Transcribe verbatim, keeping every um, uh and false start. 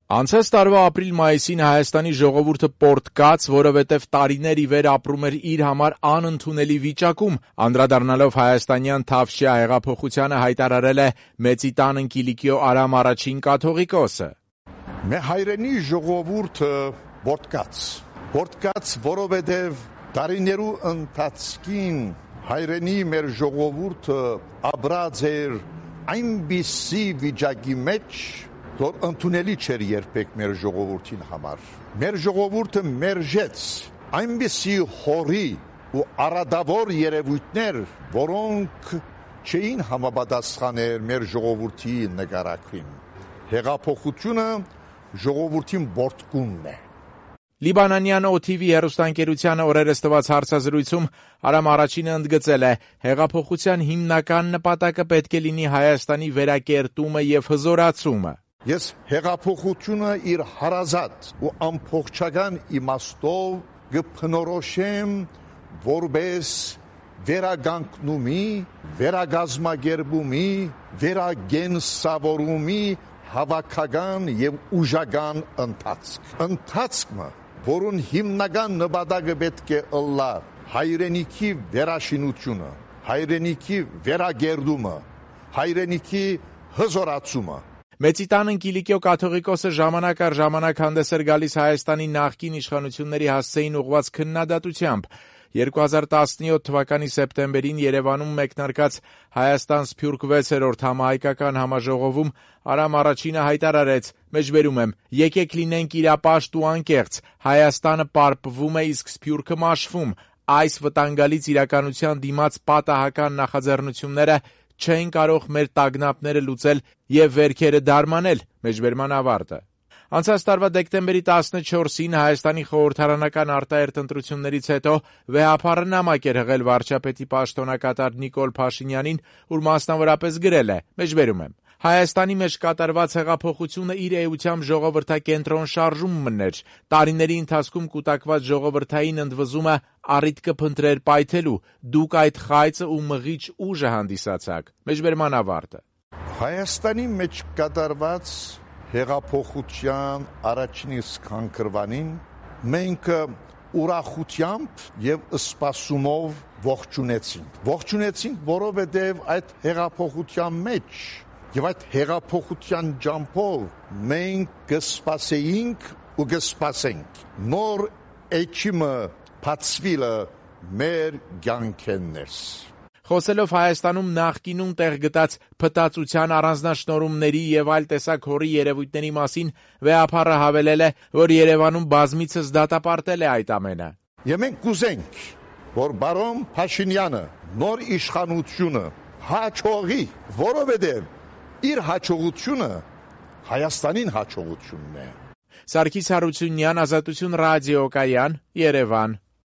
Անցած տարվա ապրիլ-մայիսին Հայաստանի ժողովուրդը պորտկաց, որովհետև տարիներ ի վեր ապրում էր իր համար անընդունելի վիճակում, անդրադառնալով հայաստանյան Թավշյա հեղափոխությանը հայտարարել է Մեծի տան Կիլիկիո Արամ առաջին կաթողիկոսը. Մեր հայրենի ժողովուրդը պորտկաց, պորտկաց, որովհետև տարիներու ընթացքին հայրենի մեր ժողովուրդը ապրած էր այնպիսի վիճակի մեջ, որ ընդունելի չէր երբեք մեր ժողովրդին համար։ Մեր ժողովուրդը մերժեց այնպիսի հորի ու արադավոր երևույթներ, որոնք չէին համապատասխաներ մեր ժողովրդի նկարակին։ Հեղափոխությունը ժողովրդին բորտկումն է։ Լիբանանյան օ թի վի հեռուստաընկերությանը օրերս տված հարցազրույցում Արամ առաջինը ընդգծել է, հեղափոխության հիմնական նպատակը պետք է լինի Հայաստանի վերակերտումը և հզորացումը։ Ես հեղափոխությունը իր հարազատ ու ամբողջական իմաստով կփնորոշեմ որպես վերագանքնումի, վերագազմագերբումի, վերագենսավորումի հավաքական և ուժական ընթացք։ Ընթացքը, որուն հիմնական նպատակը պետք է ըլլա հայրենիքի վերաշինությունը, հայրենիքի վերագերդումը, հայրենիքի հզորացումը։ Մեծի տան Կիլիկիո կաթողիկոսը ժամանակ առ ժամանակ հանդես էր գալիս Հայաստանի նախկին իշխանությունների հասցեին ուղղված քննադատությամբ։ երկու հազար տասնյոթ թվականի սեպտեմբերին Երևանում մեկնարկած Հայաստան Սփյուռք վեցերորդ համահայկական համաժողովում Արամ առաջինը հայտարարեց. «Մեջբերում եմ, եկեք լինենք իրապաշտ ու անկեղծ, Հայաստանը պարպվում է, իսկ Սփյուռքը մաշվում։ Այս վտանգալից իրականության դիմաց պատահական նախաձեռնությունները չեն կարող մեր տագնապները լուծել և վերքերը դարմանել»։ Մեջբերման ավարտը։ Անցած տարվա դեկտեմբերի տասնչորսին Հայաստանի խորհրդարանական արտահերթ ընտրություններից հետո վեհափառը նամակ էր հղել վարչապետի պաշտոնակատար Նիկոլ Փաշինյանին, ուր մասնավորապես գրել է. «Մեջբերում եմ, Հայաստանի մեջ կատարված հեղափոխությունը իր էությամբ ժողովրդակենտրոն շարժումն էր։ Տարիների ընթացքում կուտակված ժողովրդային ընդվզումը առիթ կփնտրեր պայթելու։ Դուք այդ խայծը ու մղիչ ուժը հանդիսացաք»։ Մեջբերման ավարտը։ Հայաստանի մեջ կատարված հեղափոխության առաջին սկզբանքրվանին մենք ուրախությամբ և սպասումով ողջունեցինք։ Ողջունեցինք, որովհետև այդ հեղափոխության մեջ և այդ հեղափոխության ջանքով մենք կսպասեինք ու կսպասենք նոր էջիմը բացվելը մեր կյանքերս։ Խոսելով Հայաստանում նախկինում տեղ գտած փտածության առանձնաշնորհումների և այլ տեսակ հորի երևույթների մասին վեհափառը հավելել է, որ Երևանում բազմիցս դատապարտել է այդ ամենը։ Եվ մենք կուզենք, որ բարոն Փաշինյանը նոր իշխանությունը հաջողի, որովհետև իր հաջողությունը Հայաստանին հաջողությունն է։ Սարգիս Հարությունյան, Ազատություն ռադիոկայան, Երևան։